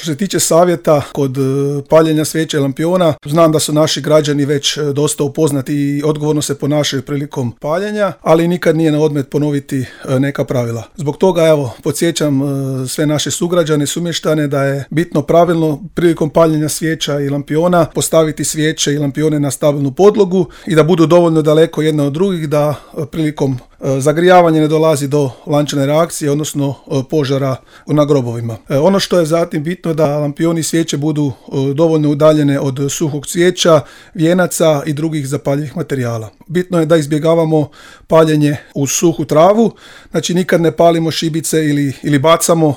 Što se tiče savjeta kod paljenja svijeća i lampiona, znam da su naši građani već dosta upoznati i odgovorno se ponašaju prilikom paljenja, ali nikad nije na odmet ponoviti neka pravila. Zbog toga, evo, podsjećam sve naše sugrađane, sumještane da je bitno pravilno prilikom paljenja svijeća i lampiona postaviti svijeće i lampione na stabilnu podlogu i da budu dovoljno daleko jedne od drugih, da prilikom zagrijavanja ne dolazi do lančane reakcije, odnosno požara na grobovima. Ono što je zatim bitno da lampioni i svijeće budu dovoljno udaljene od suhog cvijeća, vijenaca i drugih zapaljivih materijala. Bitno je da izbjegavamo paljenje u suhu travu, znači nikad ne palimo šibice ili bacamo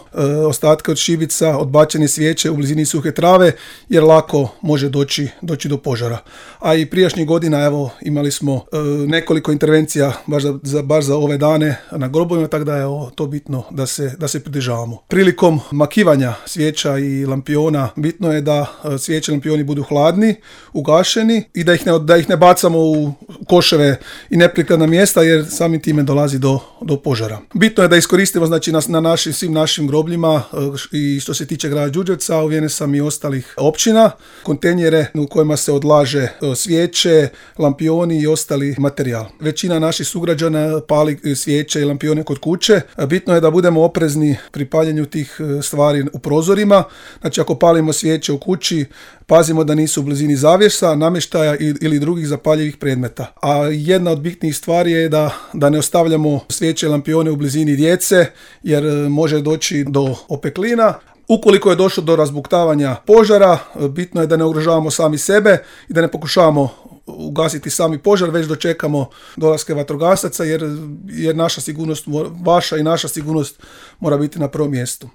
ostatke od šibica, odbačene svijeće u blizini suhe trave, jer lako može doći do požara. A i prijašnjih godina, evo, imali smo nekoliko intervencija baš za ove dane na grobovima, tako da je to bitno da se pridržavamo. Prilikom makivanja svijeća i lampiona bitno je da svijeće i lampioni budu hladni, ugašeni i da ih ne bacamo u koševe i neprikladna mjesta, jer samim time dolazi do požara. Bitno je da iskoristimo, znači, na svim našim grobljima i što se tiče grada Đurđevca, uvjeren sam i ostalih općina, kontejnere u kojima se odlaže svijeće, lampioni i ostali materijal. Većina naših sugrađana pali svijeće i lampione kod kuće. Bitno je da budemo oprezni pri paljenju tih stvari u prozorima. Znači, ako palimo svijeće u kući, pazimo da nisu u blizini zavjesa, namještaja ili drugih zapaljivih predmeta. A jedna od bitnijih stvari je da ne ostavljamo svijeće i lampione u blizini djece, jer može doći do opeklina. Ukoliko je došlo do razbuktavanja požara, bitno je da ne ugrožavamo sami sebe i da ne pokušavamo ugasiti sami požar, već dočekamo dolaske vatrogasaca, jer naša sigurnost, vaša i naša sigurnost mora biti na prvom mjestu.